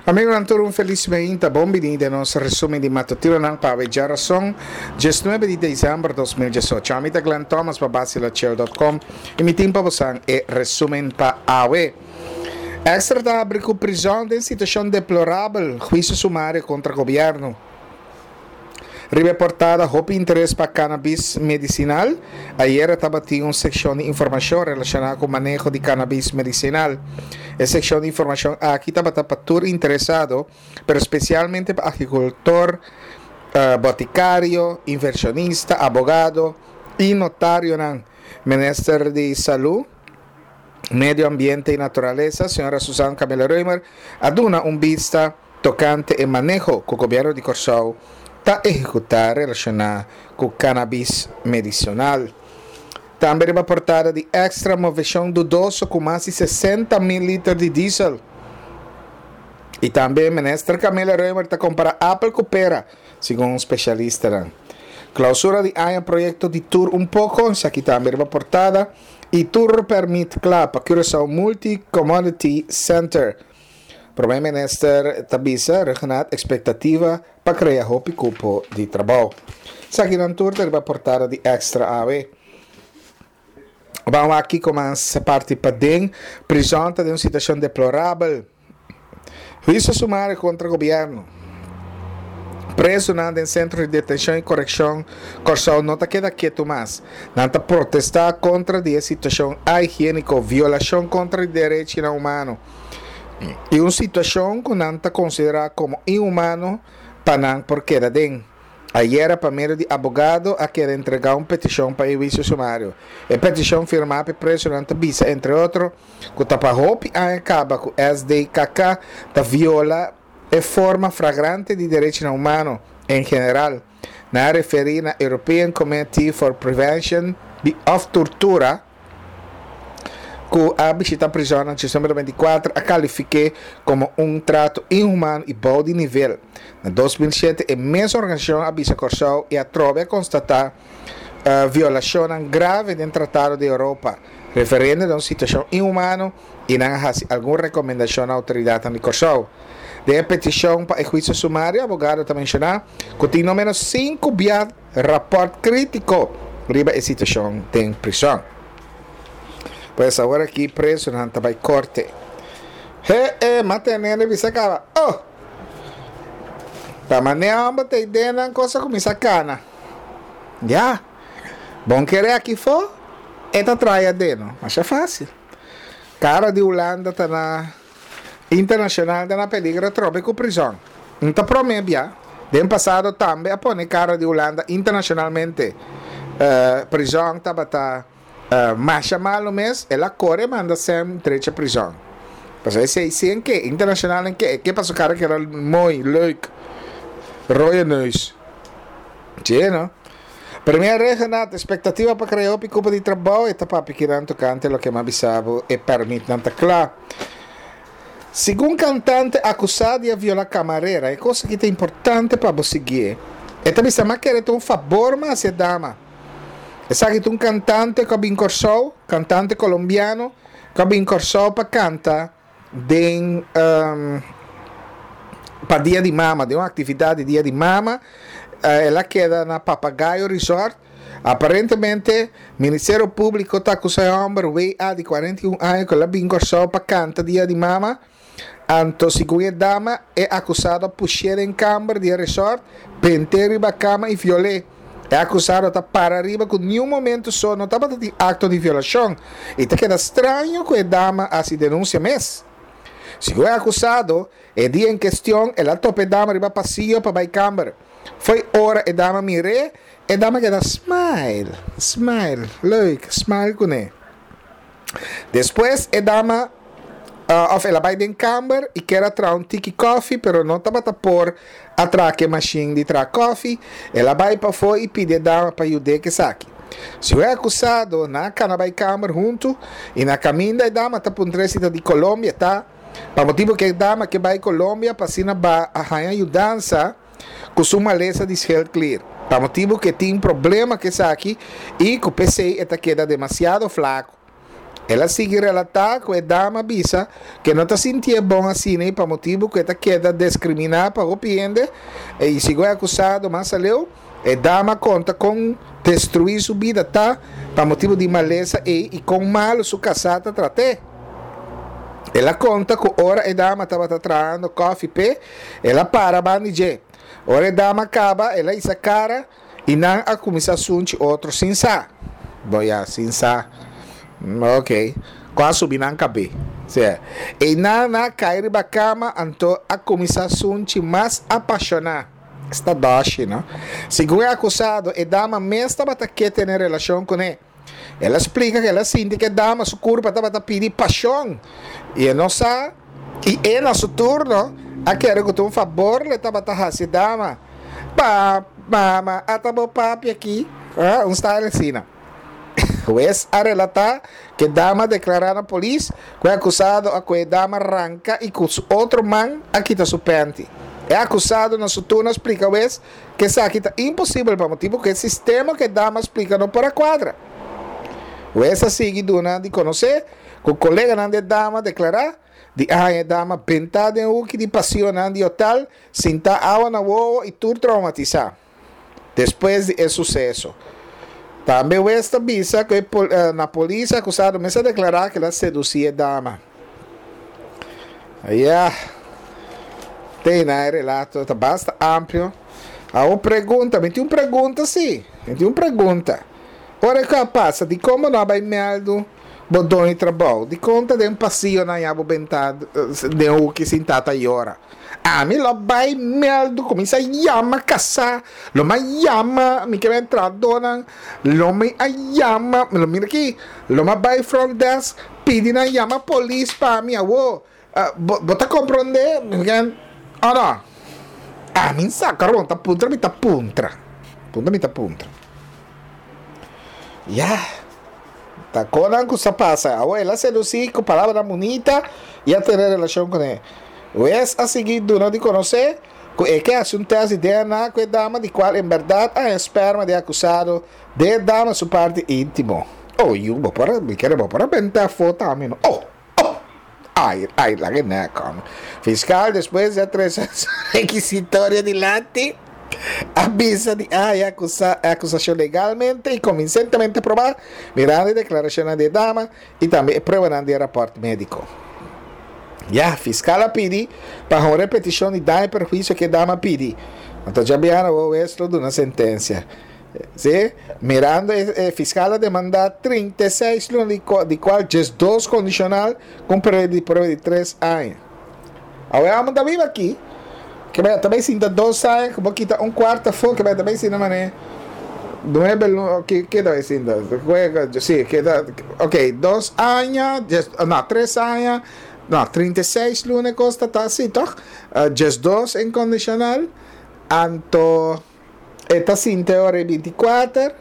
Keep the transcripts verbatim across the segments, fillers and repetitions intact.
Amigonan tur un felis meinta, bon bini den nos resumen di matutinonan pa awe djarason, diesnuebe di december dos mil diesocho. Ami ta Glenn Thomas pa Basilochill dot com y mi tin pa bosan e resumen pa awe. Extra ta habri cu prizon den situacion deplorabel, huicio sumario contra gobierno. Riba e portada hopi interes pa cannabis medicinal. Ayera tabatin un seccion di informacion relaciona cu maneho di cannabis medicinal. E seccion di informacion aki tabata pa tur interesado, pero specialmente pa agricultor, boticario, inversionista, abogado y notarionan. Minister di Salud, Medio Ambiente y Naturalesa, señora Susan Camilla Römer, a duna un bista tocante e maneho cu Gobierno di Corsou ta ehecuta relaciona cu cannabis medicinal. Tambe riba portada di Extra movecion dudoso cu mas di sesenta mil liter di diesel. Y tambe Minister Camilla Römer ta compara apel cu pera, segun specialistanan. Clausura di aña proyecto di Tour un poco, esaki tambe riba portada. Y tur permit cla pa Curaçao Multi Commodity Center. Prome Minister ta bisa Rhuggenaath expectativa pa crea hopi cupo di trabou. Esakinan tur ta riba portada di Extra awe. Ban wak kico mas parti paden. Prison ta den un situacion deplorabel. Huicio sumario contra gobierno. Presonan den centro di detencion y correccion Corsou no ta keda ketu mas. Nan ta protesta contra di e situacion ahigienico, violacion contra di derechinan humano y un situacion cu nan ta considera como inhumano pa nan por keda den. Ayera pa medio di abogado a keda entrega un peticion pa e huicio sumario. E peticion firma pa e presonan ta bisa entre otro cu ta pa hopi aña caba cu S D K K ta viola e forma flagrante di derechinan humano en general. Nan a referi na European Committee for Prevention of Tortura cu a bishita prison na diciember veinticuatro a califique como un trato inhumano y bou di nivel. Na dos mil siete e mes organisacion a bisa Corsou y a trobe a constata, eh, violacionnan grave den Tratado di Europa, referiendo na un situacion inhumano y nan a haci algun recomendacion na autoridadnan di Corsou. Den e peticion pa e juicio sumario, abogado ta menciona cu tin no menos cinco bia rapport critico riba e situacion den prison. Pues ahora aquí preso nan ta bay corte. He, he, mate nene bisa caba. Oh! Ta manea hombre te idenan cosa cu misa cana. Ya. Bon kere aki fo, eta trae adeno. Masha fácil. Cara di Holanda ta na internacional ta na peligro trobe cu prison. Nta promebia, den pasado tambe a pone cara di Holanda internacionalmente. Eh, prison tabata, eh, masha malo mes, el a corre manda sem trecha prison. Pues ese sí en que internacional en que, ¿qué pasó cara que era muy leuk? Rode neus. Sí, no? Premier Rhuggenaath, expectativa pa crea hopi cupo di trabou, eta papi kiran tocante lo que ma bisabo e permit nanta cla. Según cantante acusado de violar camarera, e cosa que é importante pa bo seguir. Eta bisa ma quere un favor ma hacia dama. Esa que un cantante que bin Corsou, cantante colombiano, que bin Corsou pa canta den, um, pa dia di mama, de una actividad de dia di mama. Eh, ela queda na Papagayo Resort. Aparentemente, Ministerio Público ta acusa e hombre W A de cuarenta y un años que la bin Corsou pa canta dia di mama. Anto, según e dama, é acusado a puxer em câmara de resort, penteiro e cama e violé. É acusado a para arriba com nenhum momento só não tava de acto de violação. E te queda estranho que a dama assim denúncia mes. Según é acusado, e dia em questão, ela tope dama riba passeio para vai câmara. Foi hora e dama mire, e dama queda smile, smile, leuk, smile com ele. Depois, e dama, uh, of ela vai den câmara e quer atrair um tiki coffee, pero não tava a por atraque machine de tra coffee. Ela vai para fora e pede dama para ajudar que saque. Se o é acusado na cana vai câmara junto e na caminho da dama tá por um três de Colômbia, tá? Pa motivo que dama que vai Colômbia pa sina ba a rainha ajudança com sua maleza de schildklier. Pa motivo que tem problema que saque e que o P C eta queda demasiado flaco. El a sigui relatá ku e dama a bisa ku e no ta sintié bon asina pa motibu ku e ta keda deskriminá pa hopi hende i segun e akusado mas aleu e dama a konta kon destruí su bida ta pa motibu di malesa ei i kon malu su kasá ta trat'é. El a konta ku ora e dama tabata trahando kòfi p'e, el a para banda di dje. Ora e dama a kaba, el a hisa kara i nan a kuminsá sunchi otro sin sa. Bo ya, sin sa. Ok. Ku a subi nan kabé. Sea. Einan nan a kai riba kama anto a kuminsá sunchi mas apashoná. Esta dòshi, no? Segun e akusado, e dama mes tabata ke tene relashon kuné. El a splika ku el a sinti ku e dama su kurpa tabata pidi pashon i e no sa, i e na su turno a kere ku ta un fabor lo e tabata hasi e dama. Pa, mama, ata bo papia aki, un style asina. Hues a relatá ku e dama a deklará na polis ku e akusado a kohe e dama ranka i ku su otro man a kita su pènti. E akusado na su turno a splika hues ku esaki ta imposibel pa motibu ku e sistema ku e dama a splika no por a kuadra. Hues a sigui duna di konosé ku koleganan di e dama a deklará di a haña e dama bentá den huki di pasionan di hotel, sintá awa na wowo i tur traumatisá. Despues di e suseso. Tambe wes ta bisa ku e na polis e akusado mes a deklará ku el a sedusí e dama. Ya. Te na e relato ta basta amplio. Awor pregunta, mi tin un pregunta si. Mi tin un pregunta. Ora ku a pasa, dikon bo no a bai mèldu bo doño di trabou? Dikon ta den pasionan ya bo benta den huki sintá ta yora? Ami lo bai meldu kuminsá yama kasá, lo mi a yama mi ke entradonan, lo mi a yama, lo mira aki, lo mi a bai front desk pidi nan yama polis pa mi awo. Bo bo ta komprondé? Mi ke o no? Ami sa kòrda bo ta puntra mi ta puntra, puntra mi ta puntra. Ya, ta konan ku sa pasa. Awor el a sedusí ku palabranan bunita i a tene relashon kuné. Wes a sigui duna di konosé ku e ke hasi un tèst di D N A ku e dama di kual en bèrdat a haña spèrma di e akusado den e dama su parti íntimo. Oh, yu, bo por a, mi kere bo por a benta afó tambe, no? Oh! Oh! Ai, ai, laga e nèk, hòmber. Fiskal despues di a trese su rekisitorio dilanti, a bisa di a haña akusa e akusashon legalmente i konvinsentemente probá, mirando e deklarashonnan di e dama i tambe e pruebanan di e rapòrt médiko. Ya, fiskal a pidi pa honra e petishon di daño i perhuisio ku e dama a pidi. Anto djabièrnè awor wes lo duna sentensia. Sí, mirando e, e fiskal a demandá trinta i seis luna di, di kual diesdos kondishonal ku un periodo di prueba di tres aña. Awor e hòmber ta biba aki, ke bai ta bai sinta dos aña ku bo kita un kuart afó, ke bai ta bai sinta manera nuebe luna, ke ke ta bai sinta? Sí, ke ta, ok, dos aña, dies, no, tres aña, no, trinta i seis luna e kos ta ta así tòg? Diesdos inkondishonal, anto. E ta sinti e ora e binti kuater,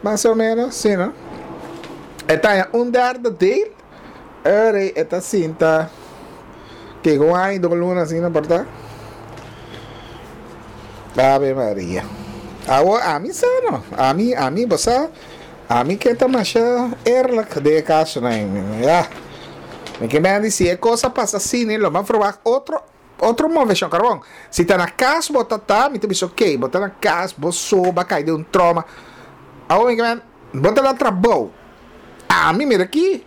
mas o menos, si no? E ta haña un derde deel, e ora e ta sinta kiko un aña i dos luna asina por ta. Ave Maria. Awor ami sa no, ami, ami, bo sa, ami ke ta masha eerlijk den e kasonan, ya. Mi ke mende si e kos a pasa asina, lo mi a verwagt otro. Otro moveshon, karbon. Si ta na kas bo ta ta, mi ta bisa ok, bo ta na kas, bo so, bo a kai den un troma. Awor mi kimen, bo ta na trabou. Ami mira aki,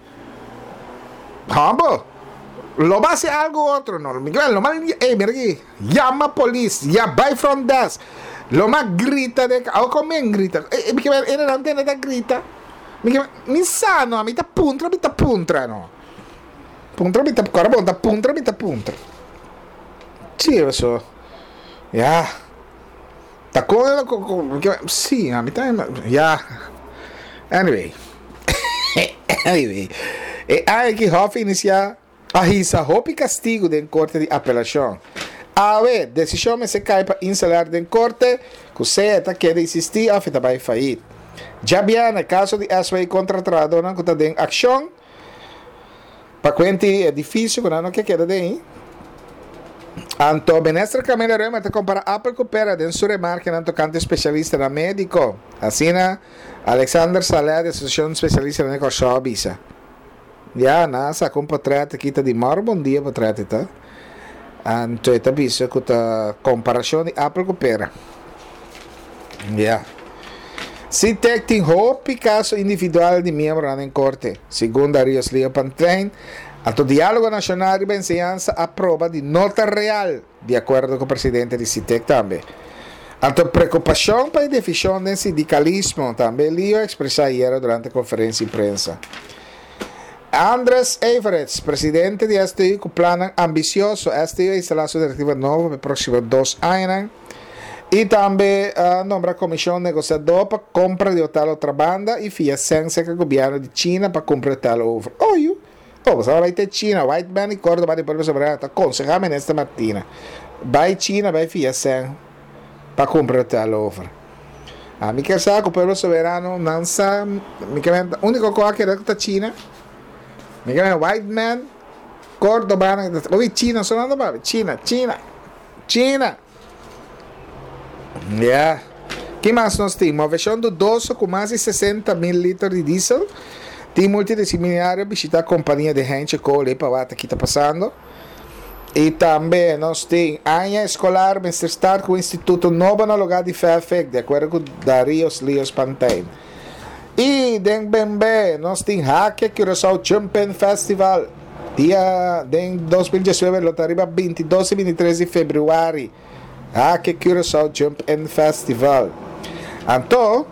hòmber, lo bo hasi algu otro no. Mi kimen, lo mas, ey mira aki, yama polis, ya bai front desk, lo mas grita den, awor kon mi grita? Mi kimen, e nan tende ta grita. Mi kimen, mi sa no, mi ta puntra, mi ta puntra no. Puntra mi ta kora bon ta puntra mi ta puntra. Chi so. Ya. Ta con con sí, a mi ta ya. Anyway. Anyway. E aña ki Hof inicia a hisa hopi castigo den corte di apelacion. Awe, decision mester cay pa Insular den corte cu sea ta keda insisti of e ta bay failliet. Djabièrnè, caso di S W contra trahadornan cu ta den accion. Pa kuenti e edifisio ku nan no ke keda den. Anto Minister Camila Römer ta kompara apel ku pera den su remarkenan tokante spesialistanan médiko. Asina Alexander Saleh di Asosiashon Spesialistanan di Kòrsou a bisa. Ya, nan a saka un portrèt aki ta di mòr bon dia portrèt ta. Anto e ta bisa ku ta komparashon di apel ku pera. Ya. SITEK tin hopi kaso individual di miembronan den korte, segun Darius Leo Pantlein. Anto Diálogo Nashonal riba Enseñansa a proba di no ta real, di akuerdo ku presidente di SITEK tambe. Anto preokupashon pa e divishon den sindikalismo tambe Leo a ekspresá ayera durante konferensia di prensa. Andres Everits, presidente di S T U ku plannan ambisioso. S T U a instalá su direktiva nobo pa e próksimo dos añanan. I tambe a nombra komishon negosiadó pa kompra di hotel Otrabanda i fia sèn serka gobièrnu di China pa kumpra hotel over. Oh, yu. Oh, bo bai te China, Whiteman i Cordoba di Pueblo Soberano ta konsehá minister Martina. Bai China, bai fia sèn pa kumpra hotel over. Ami ke sa ku Pueblo Soberano nan sa, mi ke úniko kos ku ta China. Mi ke Whiteman, Cordoba, oi, China, so nan ta China, China, China. Yeah. Ki mas nos tin? Moveshon dudoso ku mas di sesenta mil liter di diesel. Tim multidisiplinario bishitá kompania di Heinche Koole pa wak kiko ta pasando. I tambe nos tin aña eskolar mester start ku instituto nobo na lugá di F E F E C, di akuerdo ku Darius Lios Pantijn. I den B N B nos tin Hak'e Curaçao Jumping Festival. Dia den dos mil diesnuebe lo ta riba bintidos i bintitres di febrüari. Hak'e Curaçao Jump In Festival. Anto,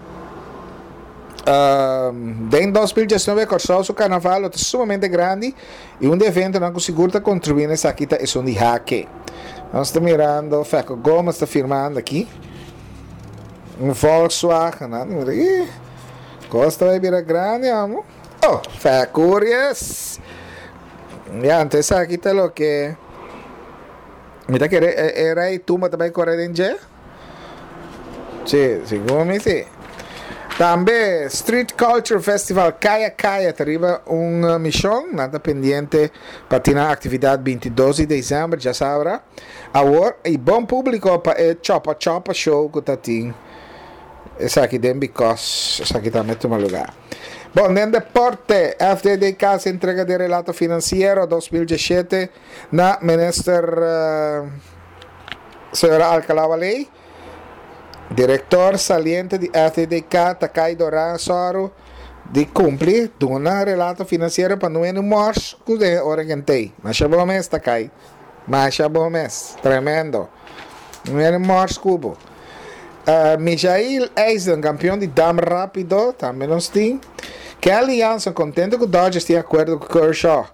um, den dos mil diesnuebe Kòrsou su karnaval ta sumamente grandi i un evento nan ku sigur ta kontribuí na esaki ta esun di Hak'e. Nos ta mirando, Feco Gomes ta firmando aki. Un Volkswagen, no? Mira, ih, kos ta bai bira grandi, amo. Oh, Feco, yes. Ya, anto esaki ta loke mi ta kere era i tumba tambe kore den dje? Si, segun mi si. Tambe Street Culture Festival Kaya Kaya ta riba un uh, mishon, nan ta pendiente pa tin aktividat bintidos di desèmber, djasabra. Awor, i bon públiko pa e Chopa Chopa Show ku ta tin. Esaki den because, esaki tambe tuma lugá. Bon, den deporte, F D D K ta entrega di relato finansiero dos mil diesshete na minister uh, señora Alcalá Wallé. Direktor saliente di F D D K, Takai Doran Soro, di kumpli, duna relato finansiero pa no mors ku de ora kentei. Masha bon mes, Takai. Masha bon mes. Tremendo. No mors kubo. Uh, Michael Eisen, kampeon di dam rápido, tambe nos tin. Kelly Jansen, kontentu ku Dodgers tin akuerdo ku Kershaw.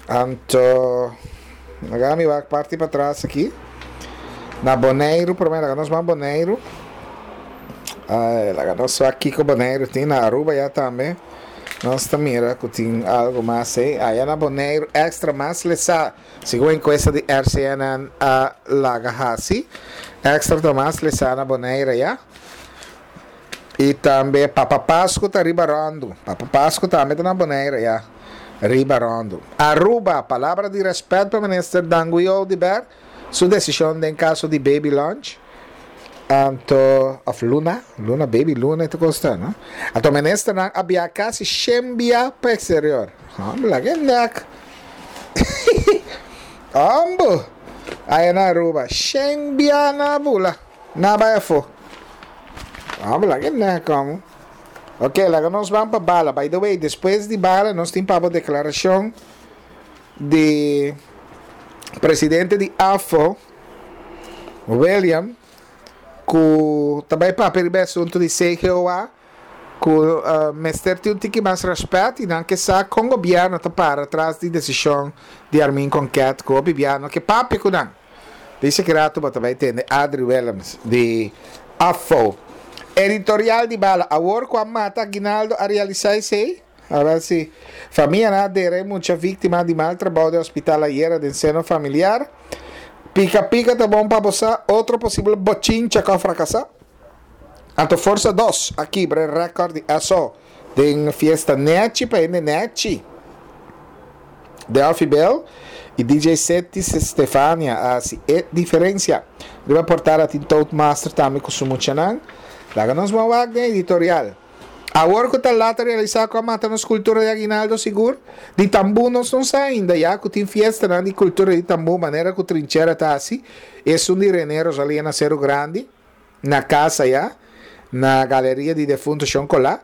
Anto, awor mi bai parti patras aki. Na Boneiru, promé, nos bai Boneiru. Uh, nos aki ku Boneiru tin na Aruba ya tambe. Nos ta mira ku tin algu mas ei. Aya na Boneiru, Extra mas lesá. Segun enkuesta di R C N N a laga hasi. Extra ta mas lesá na Boneiru ya. I tambe Papa Pasco ta riba rondo. Papa Pasco tambe ta na Boneiru ya. Riba rondo. Aruba, palabra di rèspèt pa minister Dangui Oduber, su desishon den kaso di Baby Lunch. Anto, of Luna, Luna, Baby Luna, ta kosta, no? Anto minister nan a biaha kasi shen bia pa eksterior. Hombre, laga nek. Hombre, aya na Aruba, shen bia na bula, na bai afó. Hombre, laga nek, como. Ok, laga nos ban pa bala. By the way, despues di bala, nos tin pa deklarashon di presidente di A F O, William, ku tambe papia riba asuntu di C G O A, ku uh, mester tin un tiki mas rèspèt i nan ke sa kon gobièrnu ta para tras di desishon di Armin Konket ku gobièrnu ke papia ku nan. Dice ku ratu bo tambe tende Adri Willems di A F O. Editorial di bala. Awor ku a mata Aguinaldo a realisá esei? Awor si. Famia a dera mucha víktima di mal trabou di hospital ayera den seno familiar. Pika Pika ta bon pa bo, otro posibel bochincha ku a frakasá. Anto Forsa dos a kibra rékòrt di S O den fiesta nechi pa hende nechi. Delphi Bell i D J Seti Stefania hasi e diferensia. Riba portada tin Toastmaster tambe ku su muchanan. Laga nos ban wak den editorial. Awor ku ta lat a realisá ku a mata nos kultura di aguinaldo sigur. Di tambú nos no sa ainda ya ku tin fiestanan di kultura di tambú manera ku Trinchera ta hasi, esun di Rene Rosalia na Seru Grandi, na kas aya, na galeria di defunto Shon Colá.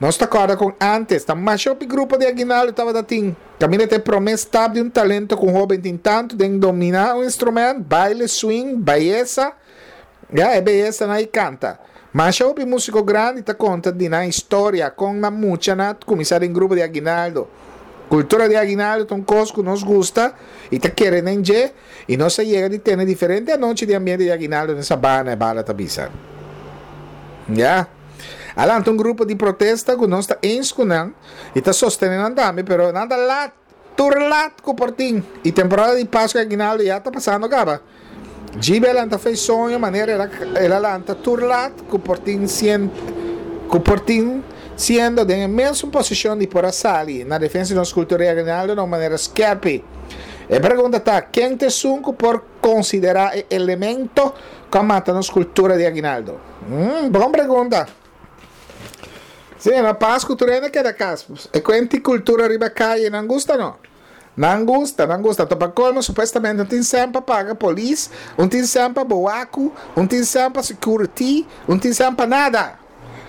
Nos ta kòrda kon ántes ta masha hopi grupo di aguinaldo tabata tin. Kaminda ta e promé stap di un talento ku un hóben tin tantu den dominá un instrumènt, baile, swing, bayesa, ya e beyesanan i kanta. Masha hopi músiko grandi ta konta di nan historia kon nan muchanan a kuminsá den grupo di aguinaldo. Kultura di aguinaldo ta un kos ku nos gusta i ta kere den dje i nos a yega di tene diferente anochi di ambiente di aguinaldo den Sabana, e bala ta bisa. Ya. A lanta un grupo di protesta ku nos ta eens ku nan i ta sostené nan tambe pero nan ta lat, tur lat ku por tin i temporada di Pasku i aguinaldo ya ta pasando kaba. Djibe a lanta fei soño manera el a el a lanta tur lat ku por tin sien ku por tin siendo den e mesun posishon di por a sali na defensa di nos kultura i aguinaldo na un manera skerpi. E pregunta ta, ken ta esun ku por konsiderá e elemento ku a mata nos kultura di aguinaldo? Mm, bon pregunta. Sí, na Pasku tur hende keda kas. E kuenti kultura riba kaye nan gusta no? Nan gusta, nan gusta. Topa colmo supuestamente un tin cen pa paga polis, un tin cen pa boaku, un tin cen pa security, un tin cen pa nada.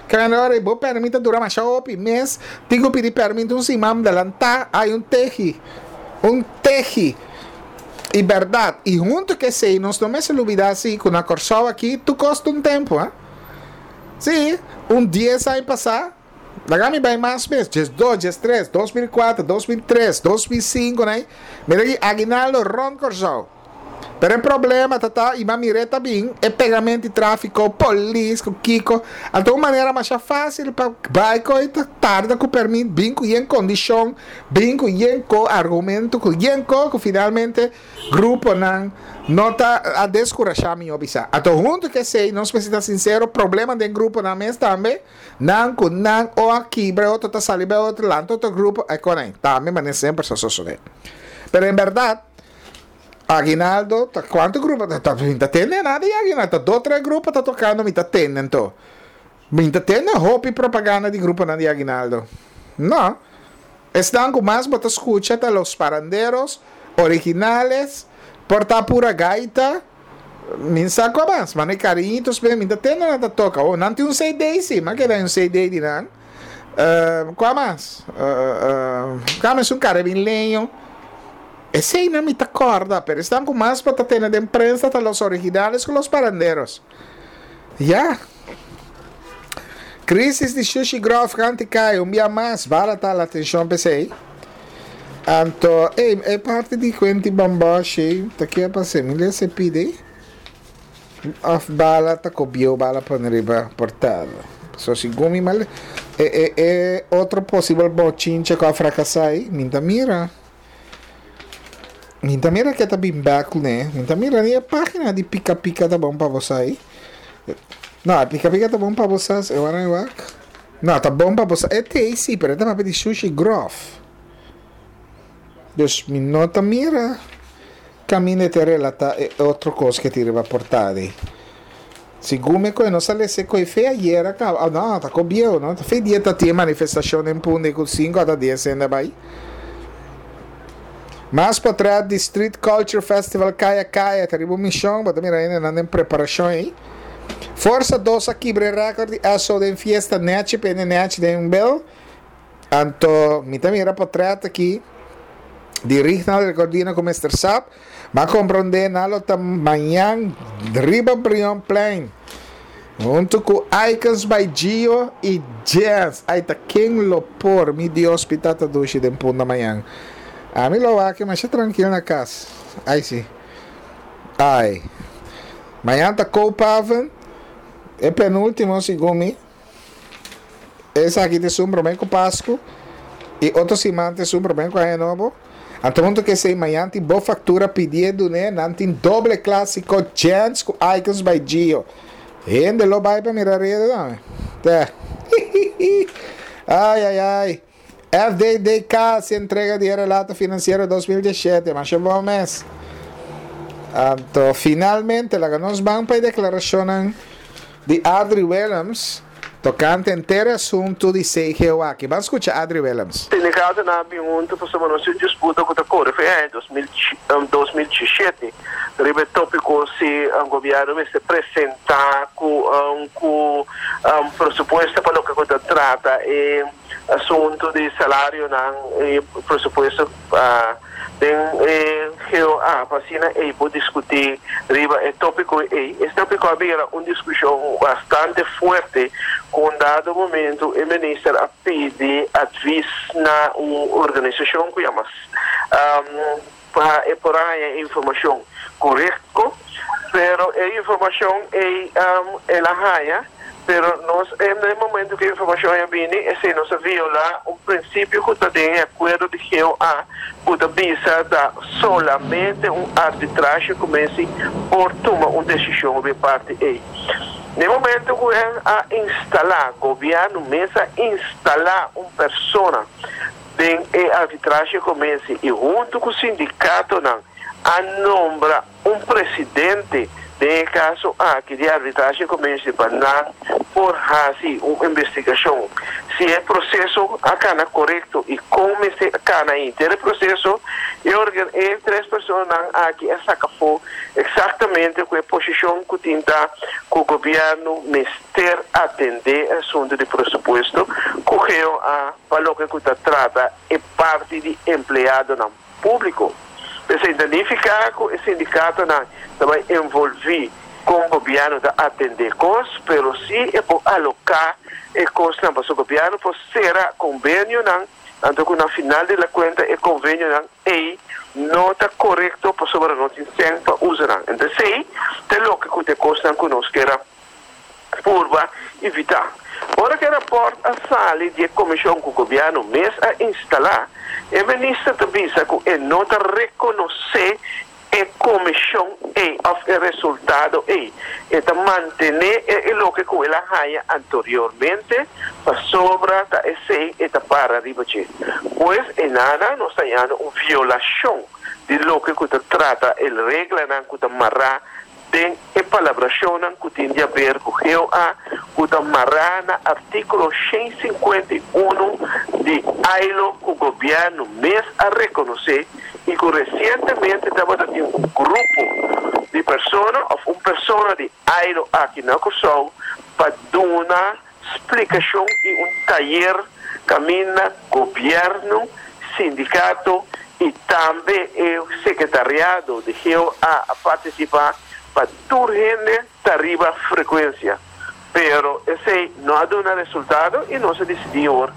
Kende ora bo permit ta dura masha hopi mes, tin cu pidi permit un siman delanta, ay un tehi, un tehi. Y berdad, y hunto cu esey nos no mester lubida si cu na Corsou aki tur cos ta un tempo, ha. Si, un dies aña pasa. Laga mi bai mas mes, djes dos, djes tres, dos mil kuater, dos mil tres, dos mil sinku nai, mira ki aguinaldo rond Kòrsou. Pero e problema ta ta, i m'a mir'é ta bin, e pegamento di tráfiko, polis ku kiko, anto un manera masha fásil pa bai ku e ta tarda ku pèrmit, bin ku yen kondishon, bin ku yen ko argumento, ku yen ko ku finalmente Gruponan no ta a deskurashá mihó bisá. Anto huntu ku esei nos mester ta sinsero, problema den gruponan mes tambe, nan ku nan o a kibra e otro ta sali bai otro lanta otro grupo, e konai tambe manera semper sa sosodé. Pero en bèrdat Aguinaldo ta kuantu grupo ta ta mi ta tende nada di Aguinaldo, ta dos tres grupo ta tokando mi ta tende anto. Mi ta tende hopi propaganda di gruponan di Aguinaldo. No. Esnan ku mas bo ta skucha ta Los Paranderos, Originales, por ta Pura Gaita, mi sa kua mas, ma ne Cariñitos pe mi ta tende nan ta toka. Oh, nan tin un C D si, mi a keda un C D di nan. Kua mas? Kua mes un Caribileño. Eseinan mi ta kòrda, pero esnan ku mas bo ta tende den prensa ta Los Originales ku Los Paranderos. Ya. Crisis di shushi grof kanti kai un bia mas bala ta la atencion p'esey. Anto ey e parti di cuenti bamboshi ta kia pase mi lesa e pidi of bala ta cobieu bala pone riba portada. So segun mi mal e e e otro posibel bochinche cu a fracasa ey mi ta mira. Mi ta mira ke ta bin bek kuné. Mi ta mira ni e página di Pika Pika ta bon pa bo sa ei. No, e Pika Pika ta bon pa bo sa, e wara e wak. No, ta bon pa bo sa. E te ei si, pero e ta papia di shushi grof. Dus mi no ta mira kaminda e ta relatá e otro kos ke tin riba portada ei. Segun mi koe nos a lesa e koe fe ayer a kaba, no, ta ko bieu, no, ta fe dia ta tin e manifestashon den Punda ku sinku ata dies hende a bai. Mas potret di Street Culture Festival Kaya Kaya ta riba un mishon, bo ta mira hendenan den preparashon ei. Forsa dos a kibra e rèkòrt di Esso den fiesta nèchi pende nèchi den bel. Anto mi ta mira potret aki di Rignald Recordino ku Mister Sap. M'a komprondé nan lo ta mañan riba Brionplein huntu ku Icons by Gio i Jens. Ai ta ken lo por, mi Dios mi tata dushi den punda mañan. Ami lo wak masha trankil na kas. Ai si. Ai. Mañan ta Koophaven, e penúltimo segun mi. Esaki ta esun promé ku Pasku i otro siman ta esun promé ku Aña Nobo. Anto huntu ku esei mañan tin bo faktura pidié dun'é, nan tin doble klásiko Gents ku Icons by Gio. Hende lo bai pa mira reda tambe. Tè. Ai ai ai. F D D K si entrega di e relato finansiero dos mil diesshete. Masha bon mes. Anto finalmente laga nos ban pa e deklarashonnan di Adri Willems. Tokante henter e asuntu di C G O aki. Ban skucha Adri Willems. Sindikatonan a bin huntu pasobra nos tin disputa ku ta kore for di dos mil diesshete riba e tópiko si e gobièrnu mester presentá ku um, ku um, presupuesto pa loke ta trata e asuntu di salarionan i presupuesto uh, den eh, G O A pa asina e por diskutí riba e tópiko ei. E tópiko a bira un diskushon bastante fuerte ku un dado momento e minister a pidi advies na un organisashon ku yama um, pa e por haña informashon korekto, pero e informashon e um, el a haña, pero nos na momento ku e informashon a bini, esei nos a violá un prinsipio ku ta den akuerdo di G O A, ku ta bisa ta solamente un arbitrahe commissie por tuma un desishon di parti ei. Na momento ku a instalá, gobièrnu mes a instalá un persona den e arbitrahe commissie i huntu ku e sindikatonan a nombra un presidente den kaso aki di arbitrahe commissie pa nan por hasi un investigashon si e proseso a kana korekto i kon a kana henter e proseso e organ e tres personanan aki a saka afó eksaktamente ku e posishon ku tin ta ku gobièrnu mester atendé asuntu di presupuesto ku G O A pa loke ta trata e parti di empleadonan públiko. Esei ta nifiká ku e sindikatonan tambe envolví ku gobièrnu ta atendé kos, pero si e por aloká e kosnan pa e gobièrnu por sera konvenionan, anto ku na final di kuenta e konvenionan ei no ta korekto pasobra no tin sèn pa usa nan. Anto, esei ta loke ku e kosnan ku nos ke purba evitá. Ora ku e rapport a sali di komishon ku gobièrnu mes a instalá, e minister ta bisa ku e no ta rekonosé e komishon ei òf e resultado ei. E ta mantené e loke ku el a haña anteriormente pasobra ta esei e ta para riba dje. Pues einan nos ta hañando un violashon di loke ku ta trata e reglanan ku ta mará den e palabrashonnan ku tin di aber ku G O A, ku ta mará na artíkulo shen sinkuenta i un di I L O, ku gobièrnu mes a rekonosé i ku resientemente tabatin un grupo di persona òf un persona di I L O aki na Kòrsou pa duna splikashon i un tayer kaminda gobièrnu, sindikato i tambe e sekretariado di G O A a partisipá pa tur hende ta riba frekuensia. Pero esei no a duna resultado i nos a disidí awor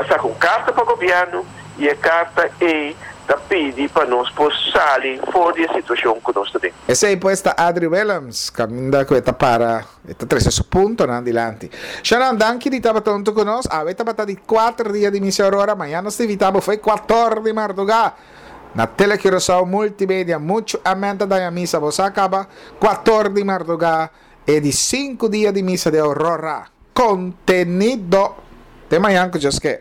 saka un karta pa gobièrnu i e karta ei ta pidi pa nos por sali for di e situashon ku nos tin. Esei pues ta Adri Willems, kaminda ku ta para, ta trese su puntonan dilanti. Sharon, danki di tabata huntu ku nos. Awe tabata di kuater dia di misa Aurora, mañan nos ta invitá bo for kuater di mardugá na Tele Curaçao Multimedia, muchu amèn ta daña misa, bo a kaba kuater di mardugá e di sinku dia di misa di Aurora. Kontenido. Te mañan ku Dios ke.